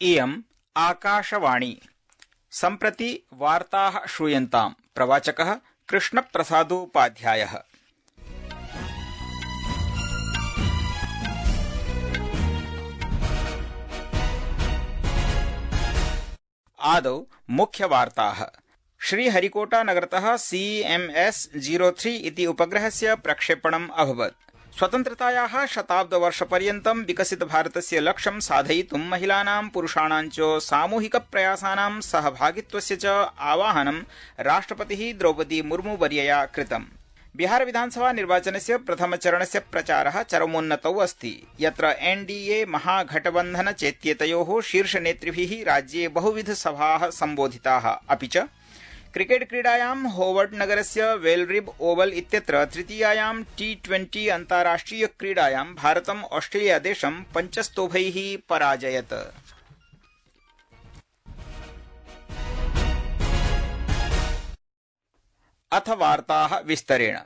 इयम् आकाशवाणी। सम्प्रति वार्ताः श्रूयन्ताम्। प्रवाचकः कृष्णप्रसादोपाध्यायः। आदौ मुख्यवार्ताः। श्रीहरिकोटा नगरतः CMS-03 इति उपग्रहस्य प्रक्षेपणम् अभवत्। स्वतन्त्रतायाः शताब्दवर्षपर्यन्तं विकसितभारतस्य लक्ष्यं साधयितुं महिलानां पुरुषाणां च सामूहिकप्रयासानां सहभागित्वस्य च आवाहनं राष्ट्रपतिः द्रौपदी मुर्मू वर्यया कृतम्। बिहार विधानसभा निर्वाचनस्य प्रथमचरणस्य प्रचारः चरमोन्नतौ अस्ति, यत्र NDA महागठबन्धन चेत्येतयोः शीर्षनेतृभिः राज्ये बहुविधसभाः सम्बोधिताः। अपि च क्रिकेट क्रीडायां होवर्ड नगरस्य वेलरिब ओवल इत्यत्र तृतीयायां T20 अन्ताराष्ट्रिय क्रीडायां भारतम् ऑस्ट्रेलियादेशं 5-0 पराजयत। अथ वार्ताः विस्तरेण।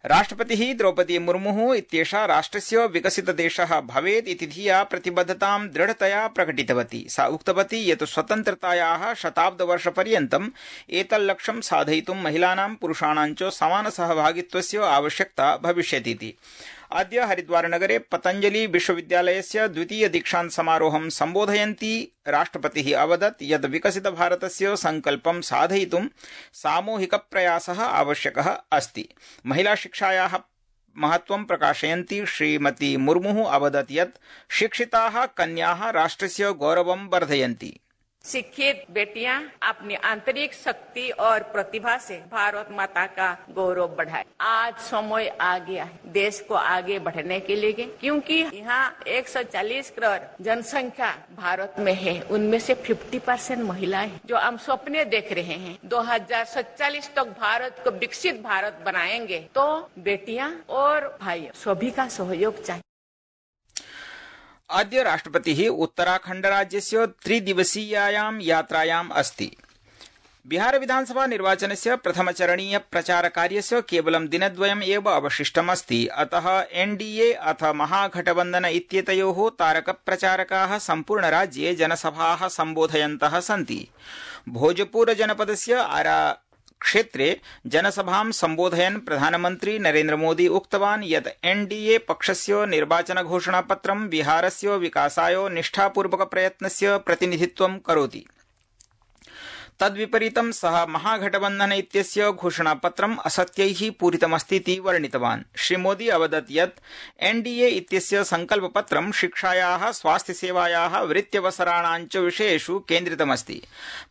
राष्ट्रपतिः द्रौपदी मुर्मुः इत्येषा राष्ट्रस्य विकसितदेशः भवेत् इति धिया प्रतिबद्धतां दृढतया प्रकटितवती। सा उक्तवती यत् स्वतन्त्रतायाः शताब्दवर्षपर्यन्तम् एतल्लक्ष्यं साधयितुं महिलानां पुरुषाणां च समानसहभागित्वस्य आवश्यकता भविष्यतीति। अद्य हरिद्वारनगरे पतञ्जलि विश्वविद्यालयस्य द्वितीय दीक्षान्त समारोहं सम्बोधयन्ती राष्ट्रपतिः अवदत् यत् विकसितभारतस्य संकल्पं साधयितुं सामूहिकप्रयासः आवश्यकः अस्ति। महिलाशिक्षायाः महत्त्वं प्रकाशयन्ती श्रीमती मुर्मुः अवदत् यत् शिक्षिताः कन्याः राष्ट्रस्य गौरवं वर्धयन्ति। शिक्षित बेटियां अपनी आंतरिक शक्ति और प्रतिभा से भारत माता का गौरव बढ़ाए। आज समय आ गया है देश को आगे बढ़ने के लिए, क्योंकि यहाँ 140 करोड़ जनसंख्या भारत में है। उनमें से 50% महिलाएं हैं। जो हम सपने देख रहे हैं 2047 तक भारत को विकसित भारत बनाएंगे, तो बेटियां और भाई सभी का सहयोग चाहिए। अद्य राष्ट्रपतिः उत्तराखण्डराज्यस्य 3 दिवसीयायां यात्रायाम् अस्ति। बिहार विधानसभा निर्वाचनस्य प्रथमचरणीय प्रचारकार्यस्य केवलं दिनद्वयम् एव अवशिष्टमस्ति। अतः NDA अथ महागठबन्धन इत्येतयोः तारकप्रचारकाः सम्पूर्णराज्ये जनसभाः सम्बोधयन्तः सन्ति। भोजपुर जनपदस्य आरा क्षेत्रे जनसभां सम्बोधयन् प्रधानमन्त्री नरेन्द्र मोदी उक्तवान् यत् NDA पक्षस्य निर्वाचनघोषणापत्रं बिहारस्य विकासाय निष्ठापूर्वकप्रयत्नस्य प्रतिनिधित्वं करोति। तद्विपरीतं सः महागठबन्धन इत्यस्य घोषणापत्रम् असत्यैः पूरितमस्तीति वर्णितवान्। श्रीमोदी अवदत् यत् NDA इत्यस्य संकल्पपत्रं शिक्षायाः, स्वास्थ्यसेवायाः, वृत्त्यवसराणां च विषयेषु केन्द्रितमस्ति।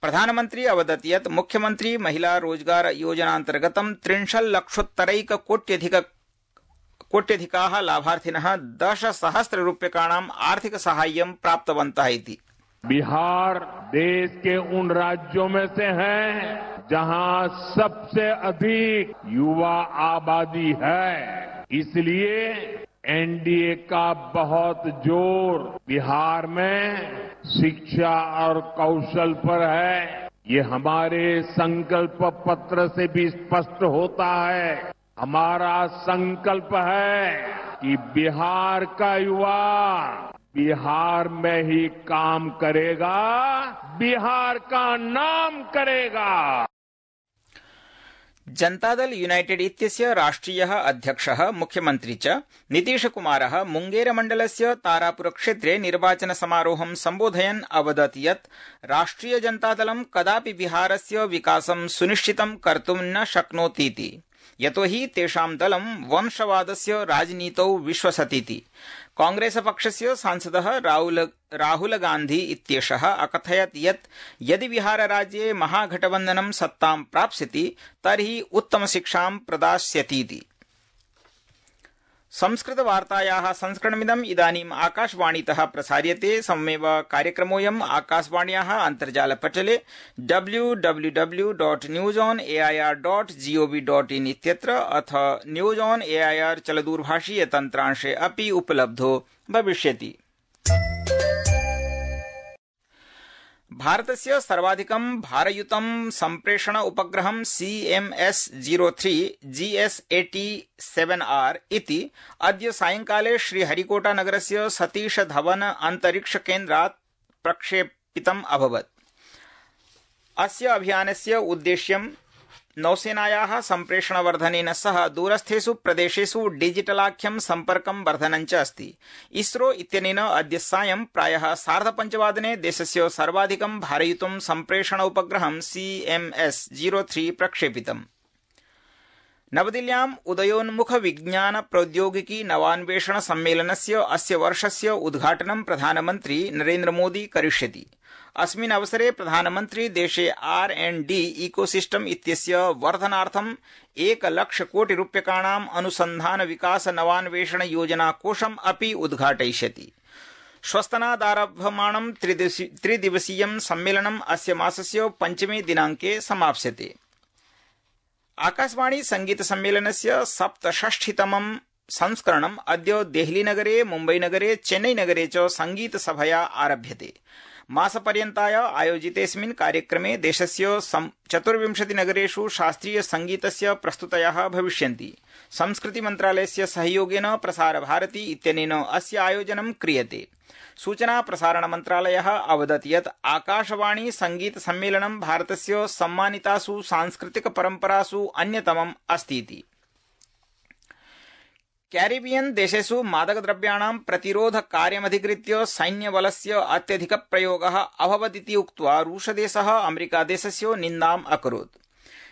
प्रधानमन्त्री अवदत् यत् मुख्यमन्त्री महिला रोजगार योजनान्तर्गतं 30 लक्षोत्तरैककोट्यधिकाः लाभार्थिनः 10,000 रूप्यकाणाम् आर्थिकसाहाय्यं प्राप्तवन्तः इति। बिहार देश के उन राज्यों में से है जहां सबसे अधिक युवा आबादी है। इसलिए NDA का बहुत जोर बिहार में शिक्षा और कौशल पर है। ये हमारे संकल्प पत्र से भी स्पष्ट होता है। हमारा संकल्प है कि बिहार का युवा बिहार में ही काम करेगा, बिहार का नाम करेगा। जनतादल यूनाइटेड इत्यस्य राष्ट्रियः अध्यक्षः मुख्यमन्त्री च नीतीशकुमारः मुंगेरमण्डलस्य तारापुरक्षेत्रे निर्वाचनसमारोहं सम्बोधयन् अवदत् यत् राष्ट्रियजनतादलं कदापि बिहारस्य विकासं सुनिश्चितं कर्तुं न शक्नोतीति, यतोहि तेषां दलं वंशवादस्य राजनीतौ विश्वसतीति। कांग्रेसपक्षस्य सांसदः राहुल गांधी इत्येषः अकथयत् यत् यदि बिहारराज्ये महागठबन्धनं सत्तां प्राप्स्यति तर्हि उत्तमशिक्षां प्रदास्यतीति। संस्कृतवार्तायाः संस्करणमिदम् इदानीम् आकाशवाणीतः प्रसार्यते। सममेव कार्यक्रमोऽयम् आकाशवाण्याः अन्तर्जालपटले www.newsonair.gov.in इत्यत्र अथ न्यूज ऑन एआईआर चलदूरभाषीय तन्त्रांशे अपि उपलब्धो भविष्यति। भारतस्य सर्वाधिकं भारयुतं सम्प्रेषण उपग्रहं CMS-03 GS-87R इति अद्य सायंकाले श्रीहरिकोटा नगरस्य सतीश धवन अन्तरिक्ष केन्द्रात् प्रक्षेपितम् अभवत्। अस्य अभियानस्य उद्देश्यं नौसेनायाः सम्प्रेषणवर्धनेन सह दूरस्थेषु प्रदेशेषु डिजिटलाख्यं सम्पर्कं वर्धनञ्च अस्ति। इसरो इत्यनेन अद्य सायं प्रायः 5:30 देशस्य सर्वाधिकं भारयुतं सम्प्रेषण उपग्रहं CMS-03 प्रक्षेपितम्। नवदिल्ल्याम् उदयोन्मुख विज्ञान प्रौद्योगिकी नवान्वेषण सम्मेलनस्य अस्य वर्षस्य उद्घाटनं प्रधानमन्त्री नरेन्द्र मोदी करिष्यति। अस्मिन् अवसरे प्रधानमन्त्री देशे R&D इकोसिस्टम इत्यस्य वर्धनार्थं 1,00,000 कोटि रूप्यकाणाम् अनुसन्धान विकास नवान्वेषण योजना कोषम् अपि उद्घाटयिष्यति। श्वस्तनादारभ्यमाणं त्रिदिवसीयं सम्मेलनम् अस्य मासस्य 5 दिनाङ्के समाप्स्यते। आकाशवाणी संगीत सम्मेलनस्य 67तमं संस्करणम् अद्य देहलीनगरे, मुम्बईनगरे, चेन्नईनगरे च संगीतसभया आरभ्यते। मासपर्यन्ताय आयोजितेऽस्मिन् कार्यक्रमे देशस्य 24 नगरेषु शास्त्रीय संगीतस्य प्रस्तुतयः भविष्यन्ति। संस्कृति मन्त्रालयस्य सहयोगेन प्रसारभारती इत्यनेन अस्य आयोजनं क्रियते। सूचना प्रसारण मन्त्रालयः अवदत् यत् आकाशवाणी संगीत सम्मेलनं भारतस्य सम्मानितासु सांस्कृतिक परम्परासु अन्यतमम् अस्तीति। कैरिबियन देशेषु मादकद्रव्याणां प्रतिरोध कार्यमधिकृत्य सैन्यबलस्य अत्यधिक प्रयोगः अभवदिति उक्त्वा रूसदेशः अमेरिकादेशस्य निन्दाम् अकरोत्।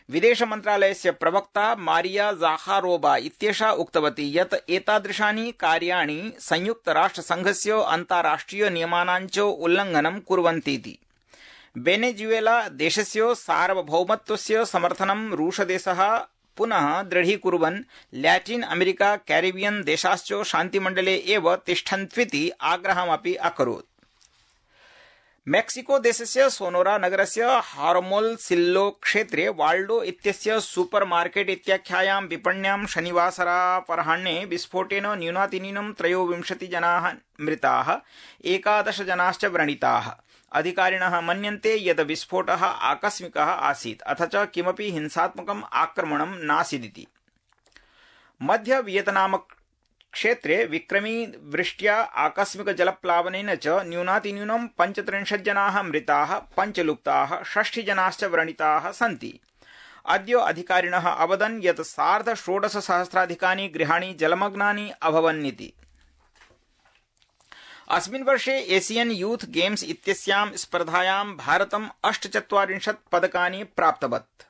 विदेश मन्त्रालयस्य प्रवक्ता मारिया ज़ाखारोवा इत्येषा उक्तवती यत् एतादृशानि कार्याणि संयुक्तराष्ट्रसङ्घस्य अन्ताराष्ट्रिय नियमानां च उल्लङ्घनं कुर्वन्तीति। वेनेजुएला देशस्य सार्वभौमत्वस्य समर्थनं रूसदेशः पुनः दृढीकुर्वन् लैटिन अमेरिका कैरिबियन देशाश्च शान्तिमण्डले एव तिष्ठन्त्विति आग्रहमपि अकरोत्। मेक्सिको देशस्य सोनोरा नगरस्य हारमोल्सिल्लो क्षेत्रे वाल्डो इत्यस्य सुपर मार्केट इत्याख्यायां विपण्यां शनिवासरापराह्णे विस्फोटेन न्यूनातिन्यूनं 23 जनाः मृताः, 11 जनाश्च व्रणिताः। अधिकारिणः मन्यन्ते यत् विस्फोटः आकस्मिकः आसीत् अथ च किमपि हिंसात्मकम् आक्रमणं नासीदिति। मध्य वियतनाम क्षेत्रे विक्रमी वृष्ट्या आकस्मिक जलप्लावनेन च न्यूनातिन्यूनं 35 जनाः मृताः, 5 लुप्ताः, 60 जनाश्च व्रणिताः सन्ति। अद्य अधिकारिणः अवदन् यत् 16,500 गृहाणि जलमग्नानि अभवन्निति। अस्मिन् वर्षे एशियन यूथ गेम्स इत्यस्यां स्पर्धायां भारतं 48 पदकानि प्राप्तवत्।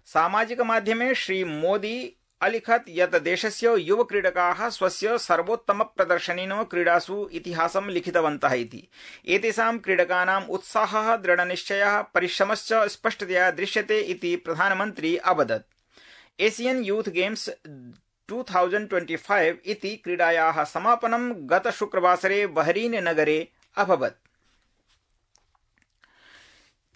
सामाजिक माध्यमे श्री मोदी अलिखत् यत् देशस्य युव क्रीडकाः स्वस्य सर्वोत्तम प्रदर्शनेन क्रीडासु इतिहासं लिखितवन्तः इति। एतेषां क्रीडकानाम् उत्साहः, दृढनिश्चयः, परिश्रमश्च स्पष्टतया दृश्यते इति प्रधानमन्त्री अवदत्। एशियन यूथ गेम्स 2025 इति क्रीडायाः समापनं गत शुक्रवासरे बहरीन नगरे अभवत्।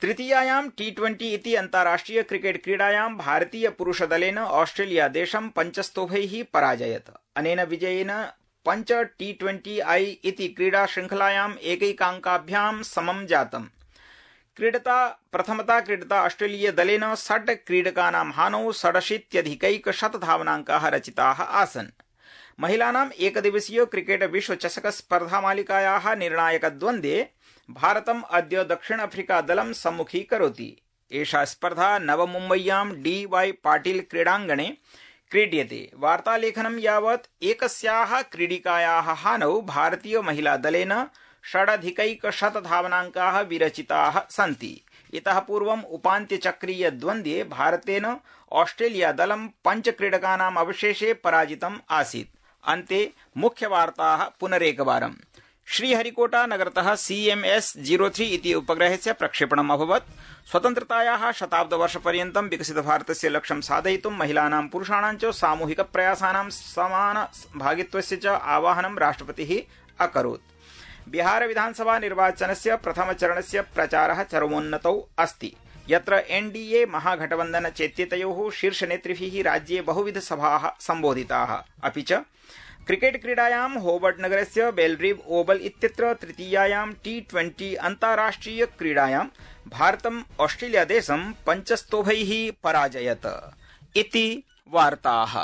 तृतीयायां T20 इति अन्ताराष्ट्रिय क्रिकेट क्रीडायां भारतीय पुरुषदलेन ऑस्ट्रेलिया देशं 5 स्तोभैः पराजयत। अनेन विजयेन 5 T20I इति क्रीडा श्रृंखलायां एकैकाङ्काभ्यां समं जातम्। प्रथमता क्रीडता ऑस्ट्रेलिया दलेन 6 क्रीडकानां हानौ 67,100 धावनाङ्काः रचिताः आसन्। महिलानाम् एकदिवसीय क्रिकेट विश्व चषक स्पर्धामालिकायाः निर्णायकद्वन्द्वे भारतम् अद्य दक्षिण अफ्रीका दलं सम्मुखीकरोति। एषा स्पर्धा नवमुम्बय्यां DY पाटिल क्रीडाङ्गणे क्रीड्यते। वार्तालेखनं यावत् एकस्याः क्रीडिकायाः हानौ भारतीय महिला दलेन 6,100 धावनाङ्काः विरचिताः सन्ति। इतः पूर्वम् उपान्त्यचक्रीय द्वन्द्वे भारतेन ऑस्ट्रेलिया दलं 5 क्रीडकानाम् अवशेषे पराजितम् आसीत्। अन्ते मुख्यवार्ताः पुनरेकवारम्। श्रीहरिकोटा नगरतः CMS-03 इति उपग्रहस्य प्रक्षेपणम् अभवत्। स्वतन्त्रतायाः शताब्दवर्षपर्यन्तं विकसितभारतस्य लक्ष्यं साधयितुं महिलानां पुरुषाणां च सामूहिक प्रयासानां समान भागित्वस्य च आवाहनं राष्ट्रपतिः अकरोत्। बिहार विधानसभा निर्वाचनस्य प्रथमचरणस्य प्रचारः चरमोन्नतौ अस्ति, यत्र NDA महागठबन्धन चेत्येतयोः शीर्षनेतृभिः राज्ये बहुविध सभाः सम्बोधिताः। अपि च क्रिकेट क्रीडायां होबर्ट नगरस्य बेलरीव ओवल इत्यत्र तृतीयायां T20 अन्ताराष्ट्रिय क्रीडायां भारतम् ऑस्ट्रेलिया देशं 5 स्तोभैः पराजयत। इति वार्ताः।